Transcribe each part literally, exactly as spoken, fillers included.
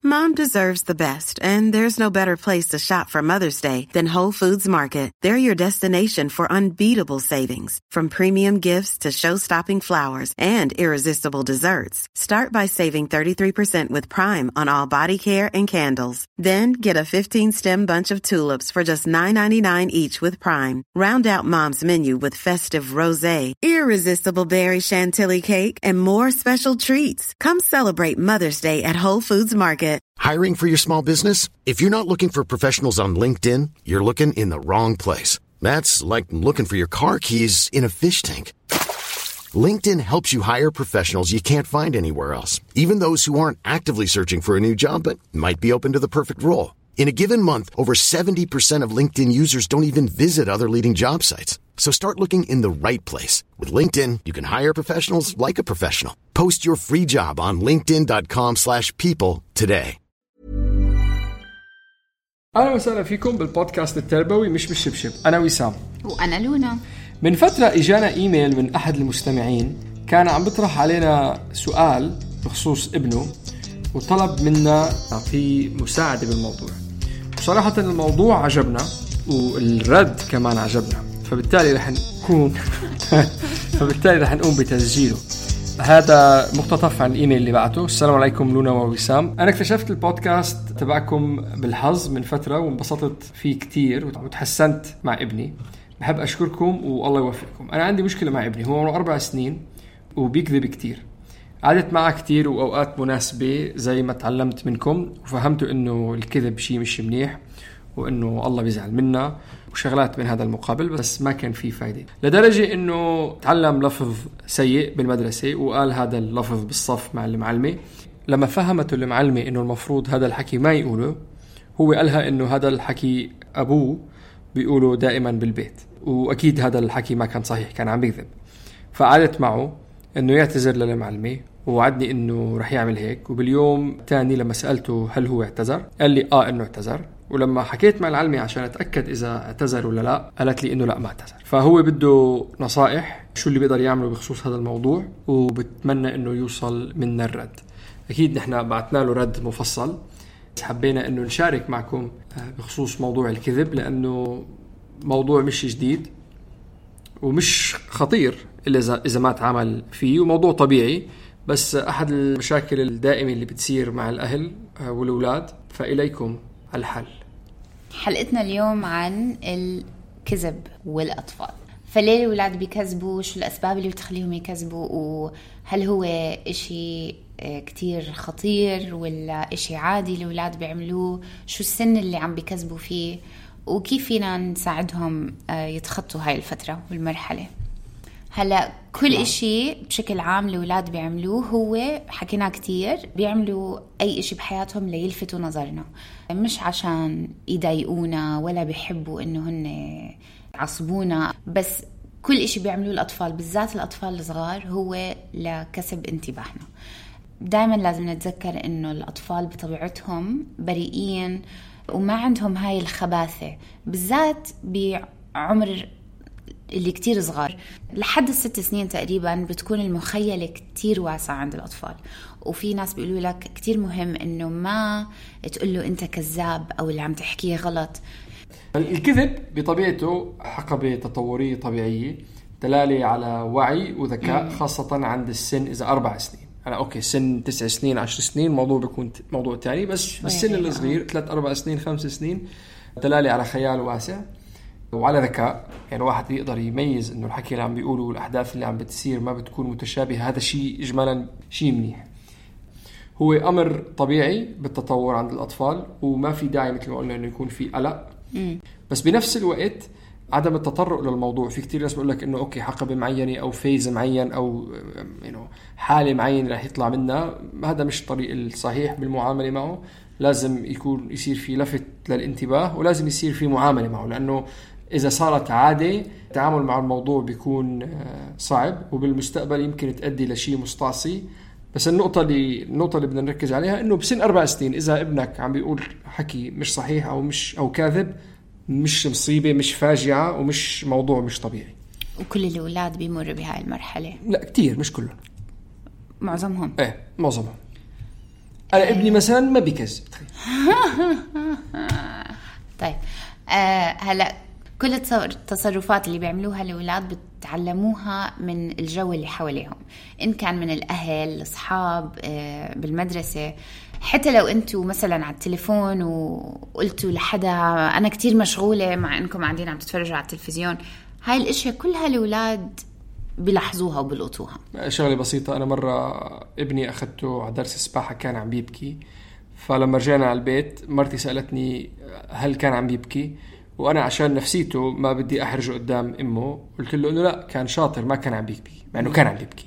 Mom deserves the best, and there's no better place to shop for Mother's Day than Whole Foods Market. They're your destination for unbeatable savings. From premium gifts to show-stopping flowers and irresistible desserts. Start by saving thirty-three percent with Prime on all body care and candles. Then get a fifteen-stem bunch of tulips for just nine ninety-nine each with Prime. Round out Mom's menu with festive rosé, irresistible berry chantilly cake, and more special treats. Come celebrate Mother's Day at Whole Foods Market. Hiring for your small business? If you're not looking for professionals on LinkedIn, you're looking in the wrong place. That's like looking for your car keys in a fish tank. LinkedIn helps you hire professionals you can't find anywhere else, even those who aren't actively searching for a new job but might be open to the perfect role. In a given month, over seventy percent of LinkedIn users don't even visit other leading job sites. So start looking in the right place. With LinkedIn, you can hire professionals like a professional. Post your free job on linkedin dot com slash people today. أهلا وسهلا فيكم بالبودكاست التربوي مش بالشبشب. أنا وسام وأنا لونا. من فترة إجانا إيميل من أحد المستمعين كان عم بيطرح علينا سؤال بخصوص ابنه وطلب منا في مساعدة بالموضوع. بصراحة الموضوع عجبنا والرد كمان عجبنا، فبالتالي رح نكون فبالتالي رح نقوم بتسجيله. هذا مقتطف عن الإيميل اللي بعته. السلام عليكم لونا ووسام. أنا اكتشفت البودكاست تبعكم بالحظ من فترة وانبسطت فيه كتير وتحسنت مع ابني. بحب أشكركم والله يوفقكم. أنا عندي مشكلة مع ابني، هو عمره أربع سنين وبيكذب كتير. قعدت معه كتير وأوقات مناسبة زي ما تعلمت منكم وفهمتوا إنه الكذب شيء مش منيح وإنه الله بيزعل منا وشغلات من هذا المقابل، بس ما كان فيه فايدة، لدرجة إنه تعلم لفظ سيء بالمدرسة وقال هذا اللفظ بالصف مع المعلمة. لما فهمته المعلمة إنه المفروض هذا الحكي ما يقوله، هو قالها إنه هذا الحكي أبوه بيقوله دائما بالبيت، وأكيد هذا الحكي ما كان صحيح، كان عم بيكذب. فقعدت معه إنه يعتذر للمعلمة ووعدني إنه رح يعمل هيك. وباليوم تاني لما سألته هل هو اعتذر، قال لي آه إنه اعتذر. ولما حكيت مع العلمة عشان أتأكد إذا اعتذر ولا لا، قالت لي إنه لا ما اعتذر. فهو بده نصائح شو اللي بيقدر يعمله بخصوص هذا الموضوع، وبتمنى إنه يوصل منا الرد. أكيد نحن بعتنا له رد مفصل، حبينا إنه نشارك معكم بخصوص موضوع الكذب، لأنه موضوع مش جديد ومش خطير إلا إذا ما تعامل فيه، وموضوع طبيعي، بس أحد المشاكل الدائمة اللي بتصير مع الأهل والأولاد. فإليكم الحل. حلقتنا اليوم عن الكذب والأطفال. فليه الأولاد بيكذبوا؟ شو الأسباب اللي بتخليهم يكذبوا؟ وهل هو إشي كتير خطير ولا إشي عادي الأولاد بيعملوه؟ شو السن اللي عم بيكذبوا فيه؟ وكيف فينا نساعدهم يتخطوا هاي الفترة والمرحلة؟ هلا كل إشي بشكل عام الأولاد بيعملوه هو حكينا كتير بيعملوا أي إشي بحياتهم ليلفتوا نظرنا، مش عشان يضايقونا ولا بيحبوا إنه هن يعصبونا، بس كل إشي بيعملوه الأطفال، بالذات الأطفال الصغار، هو لكسب انتباهنا. دايما لازم نتذكر إنه الأطفال بطبيعتهم بريئين وما عندهم هاي الخباثة، بالذات بعمر اللي كتير صغار لحد الست سنين تقريبا بتكون المخيلة كتير واسعة عند الأطفال. وفي ناس بيقولوا لك كتير مهم إنه ما تقوله أنت كذاب أو اللي عم تحكيه غلط. الكذب بطبيعته حقبة تطورية طبيعية دلالة على وعي وذكاء، خاصة عند السن إذا أربع سنين. أنا أوكي سن تسع سنين عشر سنين موضوع بيكون موضوع تاني، بس السن الصغير ثلاث أربع سنين خمس سنين دلالة على خيال واسع وعلى ذكاء. يعني واحد يقدر يميز إنه الحكي اللي عم بيقوله والأحداث اللي عم بتصير ما بتكون متشابهة. هذا شيء إجمالا شيء منيح، هو أمر طبيعي بالتطور عند الأطفال، وما في داعي مثل ما قلنا إنه يكون في قلق. بس بنفس الوقت عدم التطرق للموضوع. في كتير ناس بيقول لك إنه أوكي حقبة معينة أو فيز معين أو إنه حالة معينة رح يطلع منها، هذا مش الطريق الصحيح بالمعاملة معه. لازم يكون يصير في لفت للانتباه ولازم يصير في معاملة معه، لأنه إذا صارت عادة التعامل مع الموضوع بيكون صعب وبالمستقبل يمكن تؤدي لشيء مستعصي. بس النقطة اللي النقطة اللي بدنا نركز عليها إنه بسن أربع سنين إذا ابنك عم بيقول حكي مش صحيح أو مش أو كاذب، مش مصيبة، مش فاجعة، ومش موضوع مش طبيعي. وكل الأولاد بيمروا بهاي المرحلة؟ لا كتير، مش كلهم، معظمهم. إيه معظمهم. انا ابني مثلا ما بيكذب. طيب آه هلا كل التصرفات اللي بيعملوها الأولاد بتعلموها من الجو اللي حواليهم، إن كان من الأهل، الأصحاب، آه بالمدرسة. حتى لو أنتوا مثلا على التليفون وقلتوا لحدا أنا كتير مشغولة مع أنكم قاعدين عم تتفرجوا على التلفزيون، هاي الأشياء كلها الأولاد بيلاحظوها وبيلقطوها. شغلة بسيطة، أنا مرة ابني أخذته على درس سباحة كان عم بيبكي، فلما رجعنا على البيت مرتي سألتني هل كان عم بيبكي، وأنا عشان نفسيته ما بدي أحرجه قدام أمه قلت له إنه لا كان شاطر ما كان عم بيبكي، مع إنه كان عم بيبكي.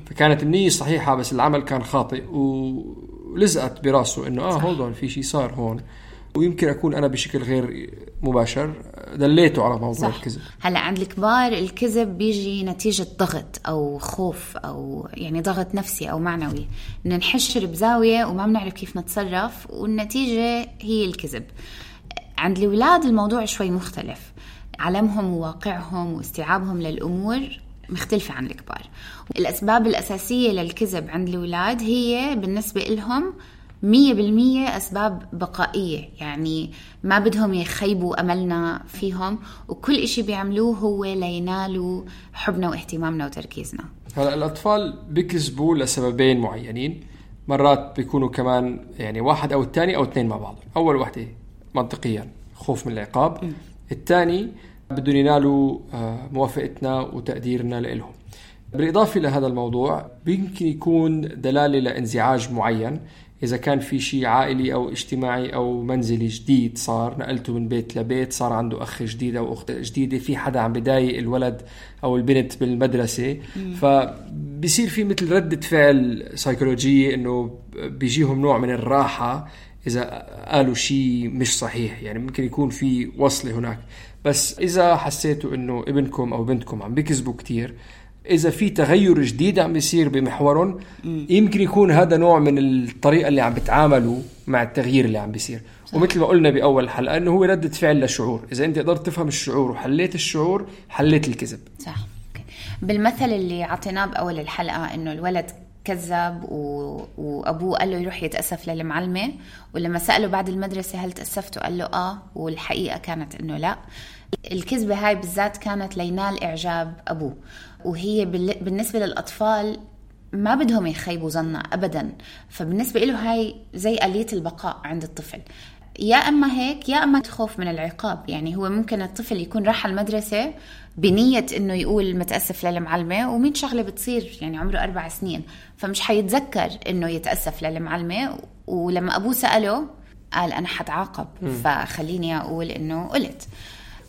فكانت النية صحيحة بس العمل كان خاطئ، ولزقت براسه إنه آه هولدون في شيء صار هون، ويمكن أكون أنا بشكل غير مباشر دليته على موضوع صح. الكذب. هلا عند الكبار الكذب بيجي نتيجة ضغط أو خوف أو يعني ضغط نفسي أو معنوي، إن نحشر بزاوية وما بنعرف كيف نتصرف، والنتيجة هي الكذب. عند الأولاد الموضوع شوي مختلف، علمهم وواقعهم واستيعابهم للأمور مختلفة عن الكبار. الأسباب الأساسية للكذب عند الأولاد هي بالنسبة لهم مية بالمية أسباب بقائية، يعني ما بدهم يخيبوا أملنا فيهم، وكل إشي بيعملوه هو لينالوا حبنا واهتمامنا وتركيزنا. هلا الأطفال بيكذبوا لسببين معينين، مرات بيكونوا كمان يعني واحد أو الثاني أو اثنين مع بعض. أول واحدة منطقيا خوف من العقاب، م. الثاني بدهم ينالوا موافقتنا وتقديرنا لهم. بالإضافة لهذا الموضوع يمكن يكون دلالة لانزعاج معين، إذا كان في شيء عائلي أو اجتماعي أو منزلي جديد صار، نقلته من بيت لبيت، صار عنده أخ جديد أو أخت جديدة، في حدا عم بدايق الولد أو البنت بالمدرسة، م. فبيصير في مثل ردة فعل سيكولوجية إنه بيجيهم نوع من الراحة إذا قالوا شيء مش صحيح، يعني ممكن يكون في وصلة هناك. بس إذا حسيتوا إنه ابنكم أو بنتكم عم بيكذبوا كتير، إذا في تغير جديد عم بيصير بمحورهم، يمكن يكون هذا نوع من الطريقة اللي عم بتعاملوا مع التغيير اللي عم بيصير. ومثل ما قلنا بأول حلقة إنه هو ردة فعل للشعور، إذا أنت قدرت تفهم الشعور وحليت الشعور حليت الكذب. صح. بالمثل اللي عطيناه بأول الحلقة إنه الولد كذب و... وأبوه قال له يروح يتأسف للمعلمة، ولما سأله بعد المدرسة هل تأسفته قال له آه، والحقيقة كانت إنه لا. الكذبة هاي بالذات كانت لينال إعجاب أبوه، وهي بال... بالنسبة للأطفال ما بدهم يخيبوا ظننا أبدا، فبالنسبة له هاي زي آلية البقاء عند الطفل، يا أما هيك يا أما تخوف من العقاب. يعني هو ممكن الطفل يكون راح المدرسة بنية إنه يقول متأسف للمعلمة، ومين شغلة بتصير يعني عمره أربع سنين فمش حيتذكر إنه يتأسف للمعلمة، ولما أبوه سأله قال أنا حتعاقب فخليني أقول إنه قلت.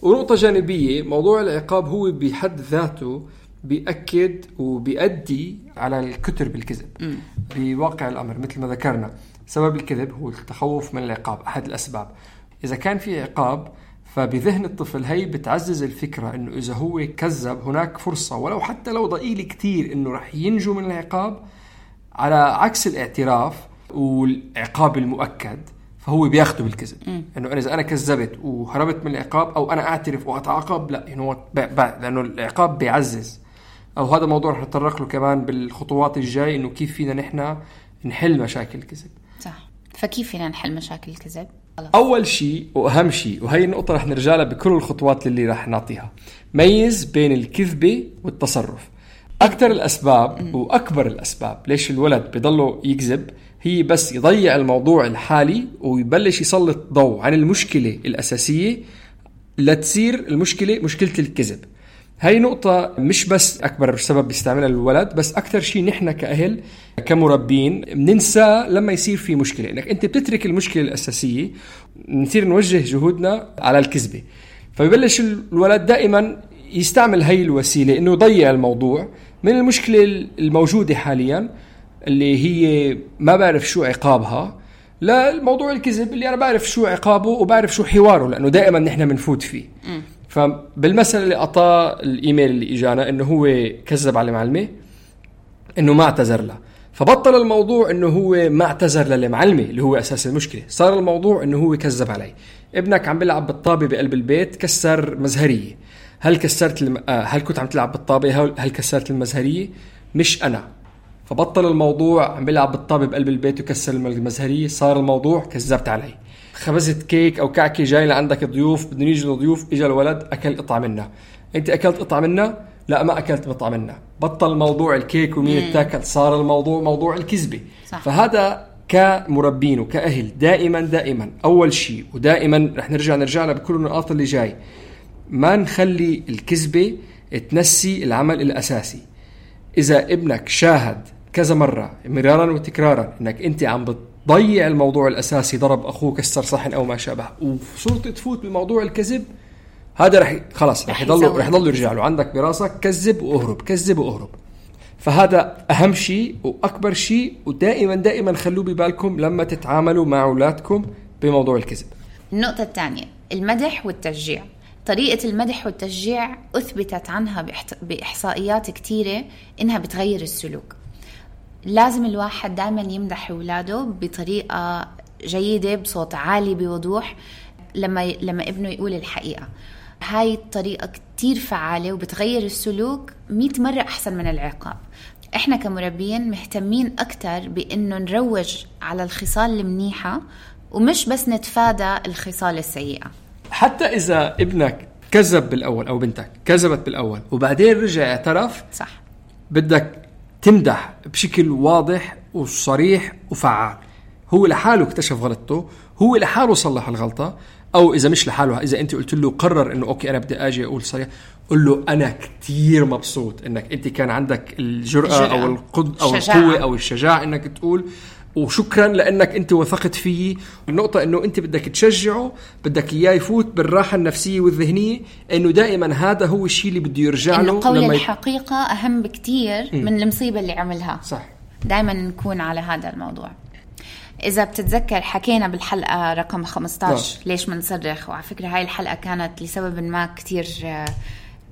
ونقطة جانبية، موضوع العقاب هو بحد ذاته بيأكد وبيؤدي على الكتر بالكذب. م. بواقع الأمر مثل ما ذكرنا سبب الكذب هو التخوف من العقاب، أحد الأسباب. إذا كان في عقاب فبذهن الطفل هي بتعزز الفكرة إنه إذا هو كذب هناك فرصة ولو حتى لو ضئيل كتير إنه رح ينجو من العقاب، على عكس الاعتراف والعقاب المؤكد فهو بياخده بالكذب. إنه أنا إذا أنا كذبت وهربت من العقاب أو أنا أعترف وأتعاقب، لا يعني هو لأنه العقاب بيعزز. أو هذا موضوع رح نتطرق له كمان بالخطوات الجاي، إنه كيف فينا نحن نحل مشاكل الكذب. صح. فكيف فينا نحل مشاكل الكذب؟ أول شيء وأهم شيء، وهي النقطة رح نرجع لها بكل الخطوات اللي رح نعطيها، ميز بين الكذبة والتصرف. أكثر الأسباب وأكبر الأسباب ليش الولد بيضله يكذب هي بس يضيع الموضوع الحالي ويبلش يسلط ضوء عن المشكلة الأساسية لتصير المشكلة مشكلة الكذب. هاي نقطة مش بس أكبر سبب بيستعملها الولد، بس أكتر شيء نحن كأهل كمربين بننسى لما يصير في مشكلة، إنك أنت بتترك المشكلة الأساسية نصير نوجه جهودنا على الكذبة. فبيبلش الولد دائما يستعمل هاي الوسيلة إنه يضيع الموضوع من المشكلة الموجودة حاليا اللي هي ما بعرف شو عقابها، لا الموضوع الكذب اللي أنا بعرف شو عقابه وبعرف شو حواره، لأنه دائما نحن منفوت فيه. م. فبالمثل اللي أعطاه الإيميل اللي إجانا إنه هو كذب على المعلمة إنه ما اعتذر له، فبطل الموضوع إنه هو ما اعتذر للمعلمة اللي هو أساس المشكلة، صار الموضوع إنه هو كذب علي. ابنك عم بيلعب بالطابة بقلب البيت كسر مزهرية، هل كسرت الم... هل كنت عم تلعب بالطابة؟ هل كسرت المزهرية؟ مش أنا. فبطل الموضوع عم بيلعب بالطابة بقلب البيت وكسر المزهرية، صار الموضوع كذبت علي. خبزت كيك أو كعكة جاي لعندك ضيوف بدهم يجوا ضيوف، إجا الولد أكل قطعة منها، أنت أكلت قطعة منها؟ لا ما أكلت قطعة منها. بطل موضوع الكيك ومين التاكل، صار الموضوع موضوع الكذبة. فهذا كمربين وكأهل دائما دائما أول شيء ودائما رح نرجع نرجع لها بكل النقاط اللي جاي، ما نخلي الكذبة تنسي العمل الأساسي. إذا ابنك شاهد كذا مرة مرارا وتكرارا إنك أنت عم بتضيع الموضوع الأساسي، ضرب أخوه كسر صحن أو ما شابه، وصرت تفوت بموضوع الكذب، هذا رح خلاص رح يضل رح يضل يرجع له عندك براسك كذب وأهرب كذب وأهرب. فهذا أهم شيء وأكبر شيء، ودائما دائما خلوه ببالكم لما تتعاملوا مع أولادكم بموضوع الكذب. النقطة الثانية المدح والتشجيع. طريقة المدح والتشجيع أثبتت عنها بإحصائيات كتيرة إنها بتغير السلوك. لازم الواحد دائما يمدح أولاده بطريقة جيدة بصوت عالي بوضوح لما لما ابنه يقول الحقيقة. هاي الطريقة كتير فعالة وبتغير السلوك مئة مرة أحسن من العقاب. إحنا كمربين مهتمين أكتر بإنه نروج على الخصال المنيحة ومش بس نتفادى الخصال السيئة. حتى إذا ابنك كذب بالأول أو بنتك كذبت بالأول وبعدين رجع اعترف، صح، بدك تمدح بشكل واضح وصريح وفعال. هو لحاله اكتشف غلطته، هو لحاله صلح الغلطة، أو إذا مش لحاله، إذا أنت قلت له قرر إنه أوكي أنا بدي أجي أقول صريح، قل له أنا كتير مبسوط إنك أنت كان عندك الجرأة, الجرأة. أو القد أو الشجاعة. القوة أو الشجاعة إنك تقول، وشكرا لأنك أنت وثقت فيه. النقطة إنه أنت بدك تشجعه، بدك إياه يفوت بالراحة النفسية والذهنية، إنه دائما هذا هو الشيء اللي بده يرجع له. إنه قول الحقيقة أهم بكتير م. من المصيبة اللي عملها. صح. دائما نكون على هذا الموضوع. إذا بتتذكر حكينا بالحلقة رقم خمسة عشر لا. ليش منصرخ، وعلى فكرة هاي الحلقة كانت لسبب ما كتير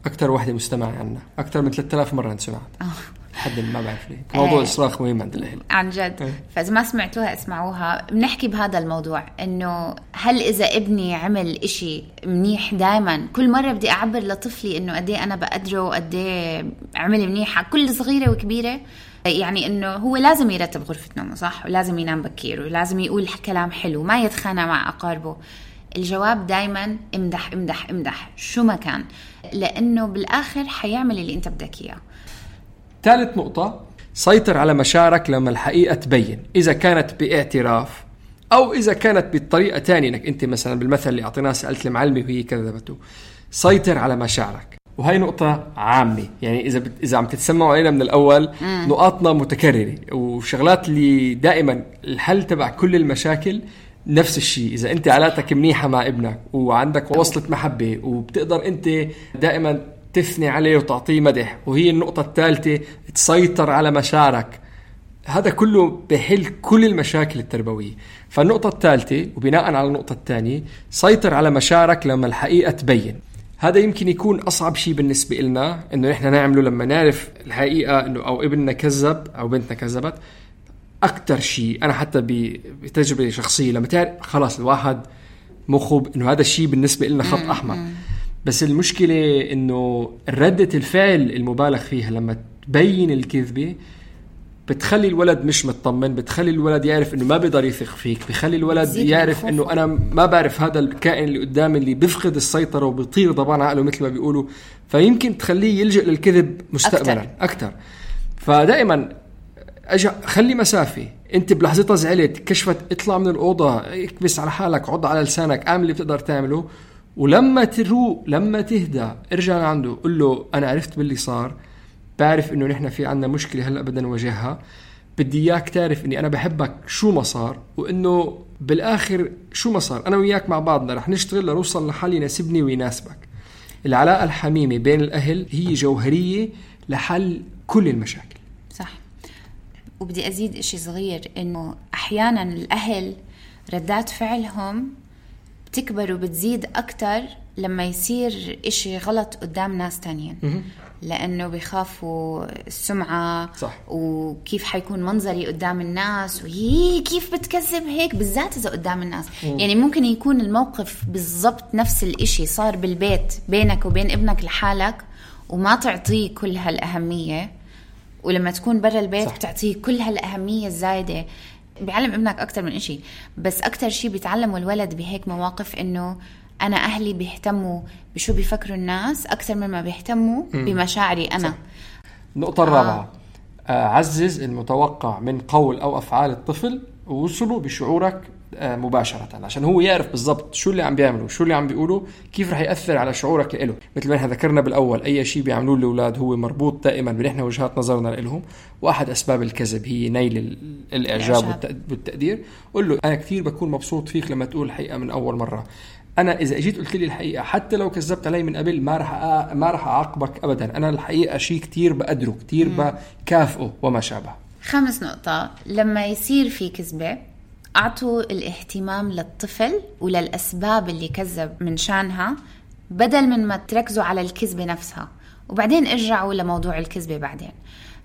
أكتر واحدة مستمعة عنا، أكتر من ثلاثة آلاف مرة انسمعت. أوه. حد ما بعرف ليه موضوع آه الصراخ مهم عند الأهل عن جد. آه. فإذا ما سمعتوها اسمعوها. بنحكي بهذا الموضوع إنه هل إذا ابني عمل إشي منيح دائما كل مرة بدي أعبر لطفلي إنه قدي أنا بقدره وقدي عمل منيح كل صغيرة وكبيرة؟ يعني إنه هو لازم يرتب غرفة نومه صح، ولازم ينام بكير، ولازم يقول كلام حلو، ما يتخانق مع أقاربه. الجواب دايما امدح امدح امدح شو ما كان، لأنه بالآخر حيعمل اللي أنت بدك إياه. ثالث نقطة، سيطر على مشاعرك لما الحقيقة تبين، إذا كانت باعتراف أو إذا كانت بالطريقة تانية، إنك أنت مثلا بالمثل اللي أعطيناه سألت المعلمة وهي كذبته. سيطر على مشاعرك، وهي نقطة عامة. يعني إذا بت... إذا عم تتسمعوا علينا من الأول مم. نقاطنا متكررة وشغلات اللي دائما الحل تبع كل المشاكل نفس الشيء. إذا أنت علاقتك منيحة مع ابنك وعندك وصلة محبة وبتقدر أنت دائما تثني عليه وتعطيه مدح، وهي النقطة الثالثة تسيطر على مشاعرك، هذا كله بحل كل المشاكل التربوية. فالنقطة الثالثة وبناء على النقطة الثانية، سيطر على مشاعرك لما الحقيقة تبين. هذا يمكن يكون أصعب شيء بالنسبة لنا إنه نحن نعمله لما نعرف الحقيقة إنه أو ابننا كذب أو بنتنا كذبت. أكتر شيء أنا حتى بتجربة شخصية لما تعرف خلاص الواحد مخب إنه هذا الشيء بالنسبة لنا خط أحمر. بس المشكلة إنه ردة الفعل المبالغ فيها لما تبين الكذبة بتخلي الولد مش مطمن، بتخلي الولد يعرف إنه ما بيقدر يثق فيك، بخلي الولد يعرف إنه أنا ما بعرف هذا الكائن اللي قدامي اللي بيفقد السيطرة وبيطير طبعا عقله مثل ما بيقولوا، فيمكن تخليه يلجأ للكذب مستقبلا أكتر, أكتر. فدائما أجا خلي مسافة. أنت بلحظتها زعلت كشفت، اطلع من الأوضة، اكبس على حالك، عض على لسانك، اعمل اللي بتقدر تعمله، ولما تروق لما تهدى ارجع عنده قل له أنا عرفت باللي صار، بعرف إنه نحن في عنا مشكلة هلأ بدنا نواجهها، بدي إياك تعرف إني أنا بحبك شو ما صار، وإنه بالآخر شو ما صار أنا وياك مع بعضنا رح نشتغل لنوصل لحل يناسبني ويناسبك. العلاقة الحميمة بين الأهل هي جوهرية لحل كل المشاكل. صح. وبدي أزيد إشي صغير، إنه أحيانا الأهل ردات فعلهم بتكبر وبتزيد أكتر لما يصير إشي غلط قدام ناس تانيين، لأنه بيخافوا السمعة. صح. وكيف حيكون منظري قدام الناس، وهي كيف بتكذب هيك، بالذات إذا قدام الناس. مم. يعني ممكن يكون الموقف بالضبط نفس الإشي صار بالبيت بينك وبين ابنك لحالك وما تعطيه كل هالأهمية، ولما تكون برا البيت صح. بتعطيه كل هالأهمية الزايدة. بيعلم ابنك أكتر من إشي، بس أكتر شي بيتعلمه الولد بهيك مواقف إنه أنا أهلي بيهتموا بشو بيفكروا الناس أكتر مما بيهتموا م. بمشاعري أنا. صح. النقطة الرابعة آه. عزز المتوقع من قول أو أفعال الطفل ووصله بشعورك مباشرة، عشان هو يعرف بالضبط شو اللي عم بيعملوا شو اللي عم بيقولوا كيف رح يأثر على شعورك له. مثل ما ذكرنا بالأول، أي شيء بيعملوه الأولاد هو مربوط دائما بنحن وجهات نظرنا لهم، وأحد أسباب الكذب هي نيل الإعجاب والتقدير. قل له أنا كثير بكون مبسوط فيك لما تقول الحقيقة من أول مرة. أنا إذا أجيت قلت لي الحقيقة حتى لو كذبت علي من قبل ما رح أ... ما رح أعاقبك أبدا. أنا الحقيقة شيء كثير بقدره كثير بكافئه وما شابه. خامس نقطة، لما يصير في كذبة أعطوا الاهتمام للطفل وللأسباب اللي كذب من شانها، بدل من ما تركزوا على الكذبة نفسها وبعدين ارجعوا لموضوع الكذبة بعدين.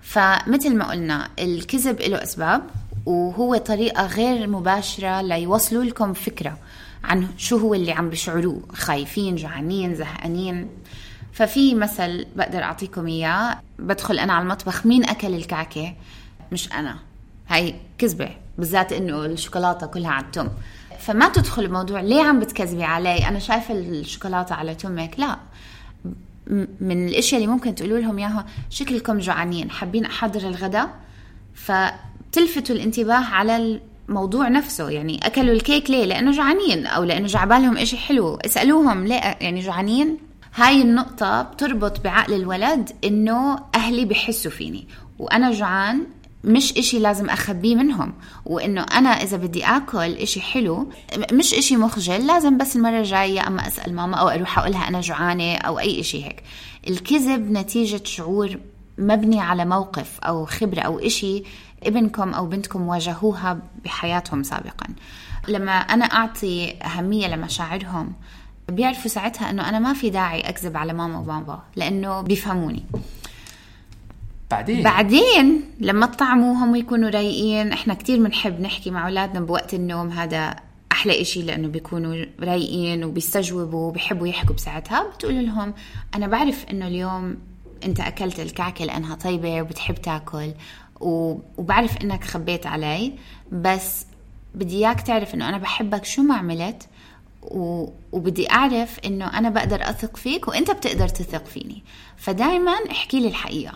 فمثل ما قلنا الكذب له أسباب، وهو طريقة غير مباشرة ليوصلوا لكم فكرة عن شو هو اللي عم بيشعروه، خايفين، جعانين، زهقانين. ففي مثل بقدر أعطيكم إياه، بدخل أنا على المطبخ مين أكل الكعكة؟ مش أنا. هاي كذبة، بالذات إنه الشوكولاتة كلها على التم. فما تدخل الموضوع ليه عم بتكذبي علي، أنا شايفة الشوكولاتة على تمك. لا، من الاشياء اللي ممكن تقولوا لهم اياها شكلكم جوعانين، حابين احضر الغداء، فتلفتوا الانتباه على الموضوع نفسه. يعني اكلوا الكيك ليه؟ لانه جوعانين، او لانه جعبالهم اشي حلو. اسالوهم ليه يعني جوعانين. هاي النقطة بتربط بعقل الولد انه اهلي بحسوا فيني وانا جوعان، مش اشي لازم اخبيه منهم، وانه انا اذا بدي اكل اشي حلو مش اشي مخجل، لازم بس المرة الجاية اما اسأل ماما او اروح اقولها انا جوعانة او اي اشي هيك. الكذب نتيجة شعور مبني على موقف او خبرة او اشي ابنكم او بنتكم واجهوها بحياتهم سابقا. لما انا اعطي اهمية لمشاعرهم بيعرفوا ساعتها انه انا ما في داعي اكذب على ماما وبابا لانه بيفهموني. بعدين بعدين لما تطعموهم ويكونوا رايقين، احنا كتير بنحب نحكي مع اولادنا بوقت النوم، هذا احلى اشي لانه بيكونوا رايقين وبيستجوبوا وبيحبوا يحكوا بساعتها. بتقول لهم انا بعرف انه اليوم انت اكلت الكعكه لانها طيبه وبتحب تاكل، وبعرف انك خبيت علي، بس بدي اياك تعرف انه انا بحبك شو ما عملت، وبدي اعرف انه انا بقدر اثق فيك وانت بتقدر تثق فيني، فدايما احكي لي الحقيقه.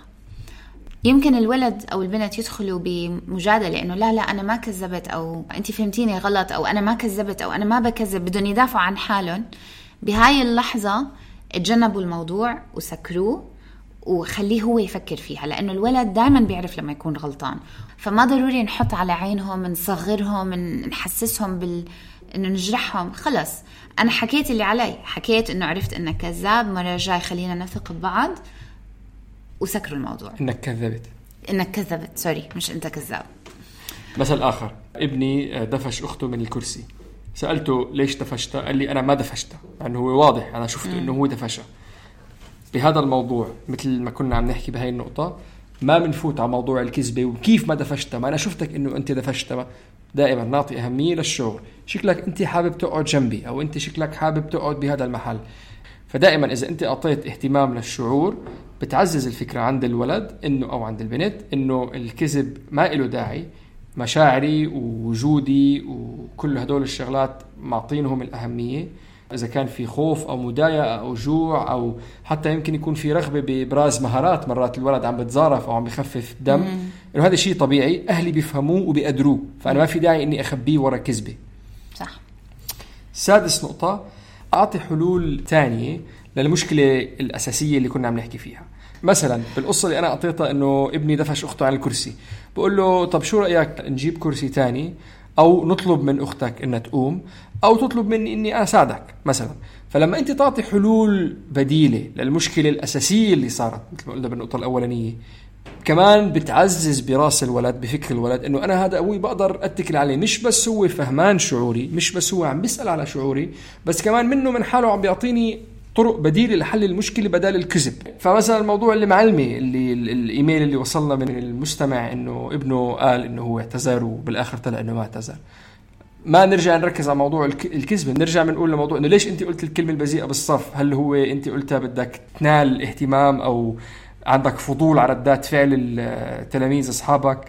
يمكن الولد أو البنت يدخلوا بمجادلة إنه لا لا أنا ما كذبت، أو أنت فهمتيني غلط، أو أنا ما كذبت، أو أنا ما بكذب، بدون يدافعوا عن حالهم. بهاي اللحظة اتجنبوا الموضوع وسكروه وخليه هو يفكر فيها، لأنه الولد دائما بيعرف لما يكون غلطان. فما ضروري نحط على عينهم، نصغرهم، نحسسهم بال إنه نجرحهم. خلص أنا حكيت اللي علي، حكيت إنه عرفت إنك كذاب، مرة جاي خلينا نثق ببعض، وسكروا الموضوع. إنك كذبت إنك كذبت سوري مش أنت كذاب. مثل آخر، ابني دفش أخته من الكرسي، سألته ليش دفشتها؟ قال لي أنا ما دفشتها، يعني هو واضح أنا شفته إنه هو دفشها. بهذا الموضوع مثل ما كنا عم نحكي بهاي النقطة، ما بنفوت على موضوع الكذبة وكيف ما دفشتها، ما أنا شفتك إنه أنت دفشتها. دائما نعطي أهمية للشعور، شكلك أنت حابب تقعد جنبي، أو أنت شكلك حابب تقعد بهذا المحل. فدائما إذا أنت أعطيت اهتمام للشعور بتعزز الفكرة عند الولد إنه أو عند البنت إنه الكذب ما له داعي، مشاعري ووجودي وكل هدول الشغلات معطينهم الأهمية. إذا كان في خوف أو مضايقة أو جوع، أو حتى يمكن يكون في رغبة بإبراز مهارات، مرات الولد عم بتزارف أو عم بخفف دم، إنه هذا شيء طبيعي، أهلي بيفهموه وبيقدروه، فأنا ما في داعي إني أخبيه ورا كذبة. صح. سادس نقطة، أعطي حلول تانية للمشكلة الأساسية اللي كنا عم نحكي فيها. مثلا بالقصة اللي أنا أعطيتها إنه ابني دفش أخته عن الكرسي، بقول له طب شو رأيك نجيب كرسي تاني، أو نطلب من أختك إنها تقوم، أو تطلب مني إني أنا أساعدك مثلا. فلما أنت تعطي حلول بديلة للمشكلة الأساسية اللي صارت مثل ما قلنا بالنقطة الأولانية، كمان بتعزز براس الولد، بفكر الولد إنه أنا هذا أبوي بقدر أتكل عليه، مش بس هو فهمان شعوري، مش بس هو عم بيسأل على شعوري، بس كمان منه من حاله عم بيعطيني طرق بديلة لحل المشكلة بدال الكذب. فمثلا الموضوع اللي معلمي اللي الإيميل اللي وصلنا من المستمع إنه ابنه قال إنه هو اعتذر وبالآخر طلع إنه ما اعتذر، ما نرجع نركز على موضوع الكذب، نرجع بنقول لموضوع إنه ليش أنت قلت الكلمة البذيئة بالصف؟ هل هو أنت قلتها بدك تنال اهتمام أو عندك فضول على ردات فعل التلاميذ أصحابك.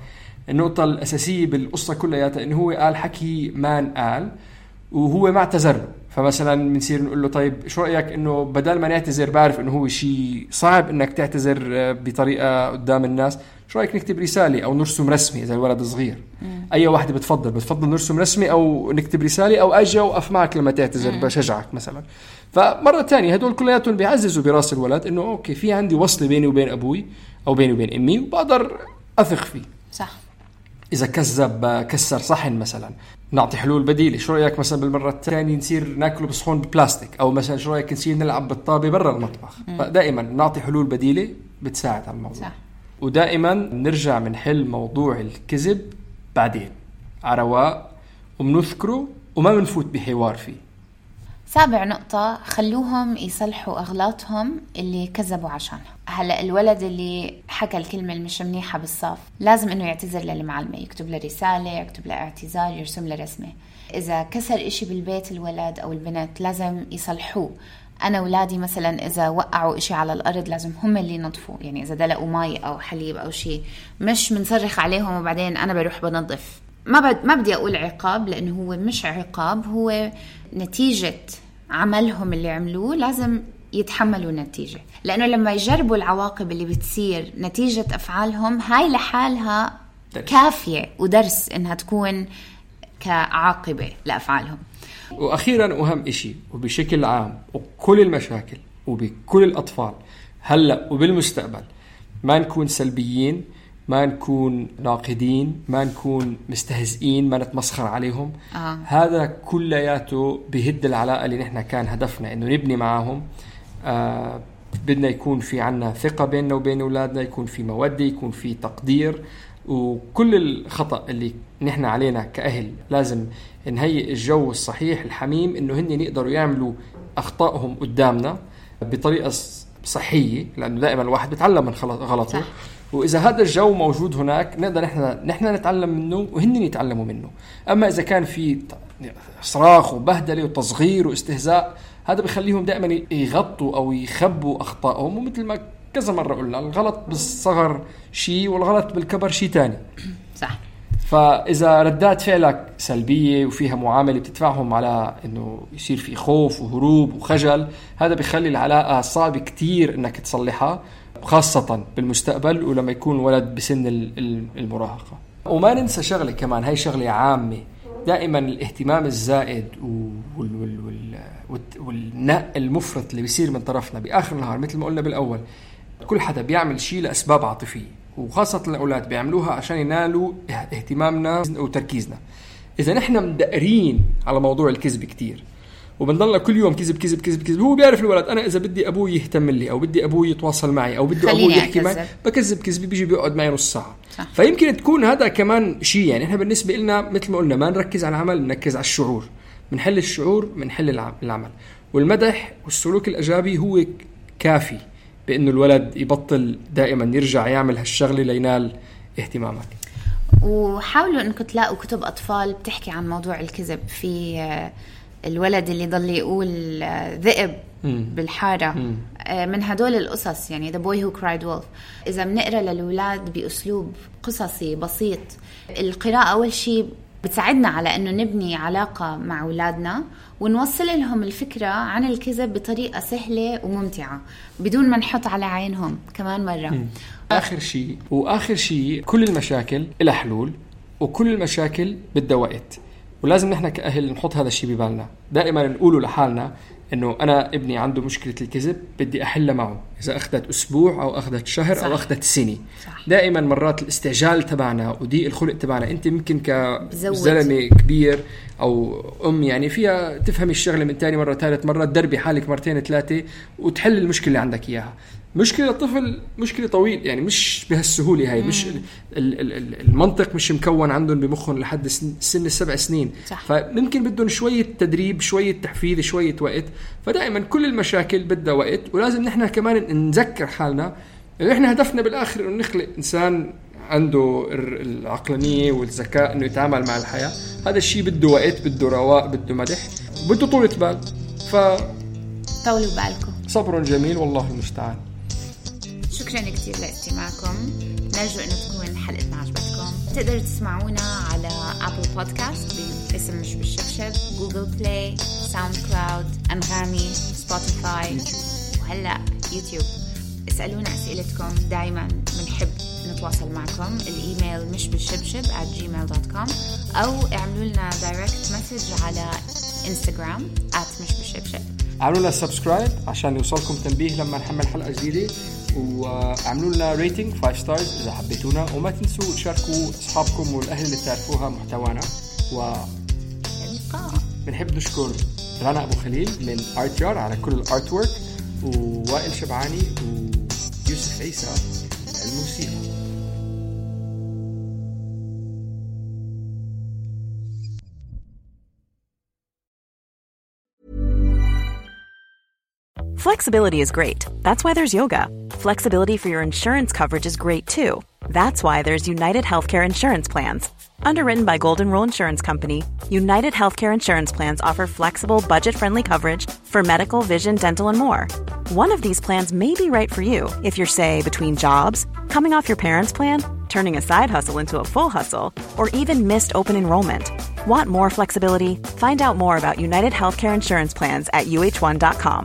النقطة الأساسية بالقصة كلها إنه هو قال حكي ما قال وهو ما اعتذر له. فمثلا بنصير نقول له طيب شو رأيك إنه بدل ما نعتذر، بعرف إنه هو شيء صعب إنك تعتذر بطريقة قدام الناس، شو رأيك نكتب رسالة أو نرسم رسمي إذا الولد صغير؟ مم. أي واحدة بتفضل بتفضل نرسم رسمي أو نكتب رسالة أو أجي وقف معك لما تعتذر مم. بشجعك مثلا. فمرة تانية هدول كلياتهم بيعززوا براس الولد إنه أوكي في عندي وصل بيني وبين أبوي أو بيني وبين أمي وبقدر أثق فيه. صح. إذا كذب كسر صحن مثلا نعطي حلول بديلة. شو رأيك مثلا بالمرة الثانية نصير ناكله بصحون ببلاستيك، أو مثلا شو رأيك نصير نلعب بالطابة برا المطبخ. مم. فدائما نعطي حلول بديلة بتساعد على الموضوع. صح. ودائما نرجع منحل موضوع الكذب بعدين على رواق ومنذكره وما منفوت بحوار فيه. سابع نقطة، خلوهم يصلحوا أغلاطهم اللي كذبوا عشانها. هلأ الولد اللي حكى الكلمة المش منيحة بالصف لازم إنه يعتذر للمعلمة، يكتب له رسالة، يكتب له اعتذار، يرسم له رسمة. إذا كسر إشي بالبيت الولد أو البنت لازم يصلحوه. أنا ولادي مثلا إذا وقعوا إشي على الأرض لازم هم اللي ينظفوا، يعني إذا دلقوا مي أو حليب أو شيء مش منصرخ عليهم وبعدين أنا بروح بنظف. ما بد ما بدي أقول عقاب لأنه هو مش عقاب، هو نتيجة عملهم اللي عملوه لازم يتحملوا النتيجة، لأنه لما يجربوا العواقب اللي بتصير نتيجة أفعالهم هاي لحالها درس. كافية ودرس إنها تكون كعاقبة لأفعالهم. وأخيرا وأهم إشي وبشكل عام وكل المشاكل وبكل الأطفال هلأ وبالمستقبل، ما نكون سلبيين، ما نكون ناقدين، ما نكون مستهزئين، ما نتمسخر عليهم. آه. هذا كلياته بهد العلاقة اللي نحن كان هدفنا إنه نبني معهم. آه بدنا يكون في عنا ثقة بيننا وبين أولادنا، يكون في مودة، يكون في تقدير. وكل الخطأ اللي نحن علينا كأهل لازم نهيئ الجو الصحيح الحميم إنه هن يقدروا يعملوا أخطائهم قدامنا بطريقة صحية، لأنه دائما الواحد بيتعلم من غلطه. صح. وإذا هذا الجو موجود هناك نقدر نحن نحن نتعلم منه وهن يتعلموا منه. أما إذا كان في صراخ وبهدلة وتصغير واستهزاء، هذا بيخليهم دائما يغطوا أو يخبوا أخطائهم. ومثل ما كذا مرة قلنا الغلط بالصغر شيء والغلط بالكبر شيء تاني. صح. فإذا ردات فعلك سلبية وفيها معاملة بتدفعهم على إنه يصير في خوف وهروب وخجل، هذا بيخلي العلاقة صعب كتير إنك تصلحها، خاصة بالمستقبل ولما يكون ولد بسن المراهقة. وما ننسى شغلة كمان، هاي شغلة عامة، دائما الاهتمام الزائد والنق المفرط اللي بيصير من طرفنا بآخر النهار مثل ما قلنا بالأول، كل حدا بيعمل شيء لأسباب عاطفية، وخاصة الأولاد بيعملوها عشان ينالوا اهتمامنا وتركيزنا. إذا نحن مدقرين على موضوع الكذب كتير وبنضلنا كل يوم كذب كذب كذب كذب، هو بيعرف الولد أنا إذا بدي أبوي يهتم لي أو بدي أبوي يتواصل معي أو بدي أبوي يحكي معي بكذب كذب، بيجي بيقعد معي نص ساعة. صح. فيمكن تكون هذا كمان شيء. يعني إحنا بالنسبة لنا مثل ما قلنا ما نركز على العمل، نركز على الشعور. منحل الشعور منحل العمل. والمدح والسلوك الإيجابي هو كافي بأنه الولد يبطل دائما يرجع يعمل هالشغلة لينال اهتمامك. وحاولوا أنكم تلاقوا كتب أطفال بتحكي عن موضوع الكذب. في الولد اللي ضل يقول ذئب مم. بالحارة مم. من هدول القصص، يعني The Boy Who Cried Wolf. إذا بنقرأ للولاد بأسلوب قصصي بسيط، القراءة أول شيء بتساعدنا على أنه نبني علاقة مع أولادنا ونوصل لهم الفكرة عن الكذب بطريقة سهلة وممتعة بدون ما نحط على عينهم كمان مرة. مم. آخر شيء وآخر شيء كل المشاكل إلى حلول، وكل المشاكل بدها وقت، ولازم نحن كأهل نحط هذا الشيء ببالنا. دائما نقوله لحالنا إنه أنا ابني عنده مشكلة الكذب بدي أحل معه، إذا أخذت أسبوع أو أخذت شهر صح. أو أخذت سنة. صح. دائما مرات الاستعجال تبعنا وضيق الخلق تبعنا، أنت ممكن كزلمة كبير أو أم يعني فيها تفهم الشغلة من تاني مرة ثالث مرة، تدربي حالك مرتين ثلاثة وتحل المشكلة اللي عندك إياها. مشكلة الطفل مشكلة طويل، يعني مش بهالسهولة هاي. مم. مش المنطق مش مكون عندهم بمخهم لحد سن السبع سنين. صح. فممكن بدهم شوية تدريب، شوية تحفيز، شوية وقت. فدائما كل المشاكل بدها وقت، ولازم نحن كمان نذكر حالنا إنه إحنا هدفنا بالآخر إنه نخلق إنسان عنده العقلانية والذكاء إنه يتعامل مع الحياة. هذا الشيء بده وقت، بده رواق، بده مدح، بده طولة بال. ف طولوا بالكم. صبر جميل والله المستعان. شكرا كتير لاستماعكم. نرجو أنه تكون حلقتنا عجبتكم. تقدروا تسمعونا على أبل بودكاست باسم مش بالشبشب، جوجل بلاي، ساوند كلاود، أنغامي، سبوتيفاي، وهلأ يوتيوب. اسألونا أسئلتكم، دايما بنحب نتواصل معكم. الإيميل مش بالشبشب at gmail dot com أو اعملوا لنا دايركت مسج على إنستغرام at مش بالشبشب. اعملوا لنا سبسكرايب عشان يوصلكم تنبيه لما نحمل حلقة جديدة، واعملوا لنا ريتنج خمسة ستارز إذا حبيتونا، وما تنسوا تشاركوا أصحابكم والأهل اللي تعرفوها محتوانا. و بنحب نشكر رنا أبو خليل من آرتيار على كل الارت وورك، ووائل شبعاني ويوسف عيسى الموسيقى. Flexibility is great. That's why there's yoga. Flexibility for your insurance coverage is great too. That's why there's United Healthcare Insurance Plans. Underwritten by Golden Rule Insurance Company, United Healthcare Insurance Plans offer flexible, budget-friendly coverage for medical, vision, dental, and more. One of these plans may be right for you if you're, say, between jobs, coming off your parents' plan, turning a side hustle into a full hustle, or even missed open enrollment. Want more flexibility? Find out more about United Healthcare Insurance Plans at U H one dot com.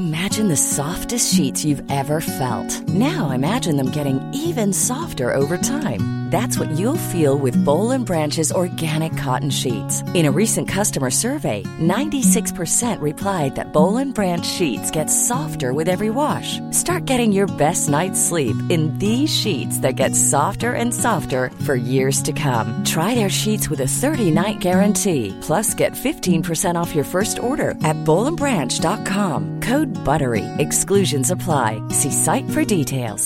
Imagine the softest sheets you've ever felt. Now imagine them getting even softer over time. That's what you'll feel with Boll and Branch's organic cotton sheets. In a recent customer survey, ninety-six percent replied that Boll and Branch sheets get softer with every wash. Start getting your best night's sleep in these sheets that get softer and softer for years to come. Try their sheets with a thirty-night guarantee. Plus, get fifteen percent off your first order at boll and branch dot com. Code BUTTERY. Exclusions apply. See site for details.